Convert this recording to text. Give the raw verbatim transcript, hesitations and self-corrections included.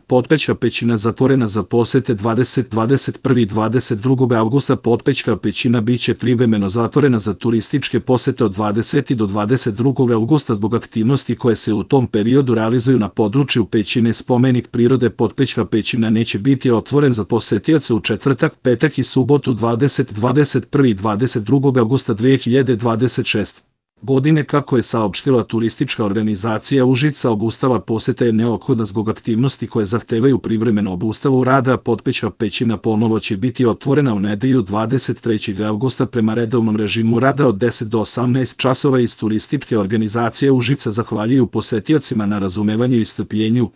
Potpećka pećina zatvorena za posete dvadesetog, dvadeset prvog i dvadeset drugog avgusta. Potpećka pećina biće privremeno zatvorena za turističke posete od dvadesetog do dvadeset drugog avgusta zbog aktivnosti koje se u tom periodu realizuju na području pećine. Spomenik prirode Potpećka pećina neće biti otvoren za posetioce u četvrtak, petak i subotu dvadesetog, dvadeset prvog i dvadeset drugog avgusta dve hiljade dvadeset šeste. godine. Kako je saopštila turistička organizacija Užice, obustava posete je neophodna zbog aktivnosti koje zahtevaju privremenu obustavu rada. Potpećka pećina ponovo će biti otvorena u nedelju dvadeset trećeg avgusta prema redovnom režimu rada od deset do osamnaest časova. Iz turističke organizacije Užice zahvaljuju posetiocima na razumevanju i strpljenju.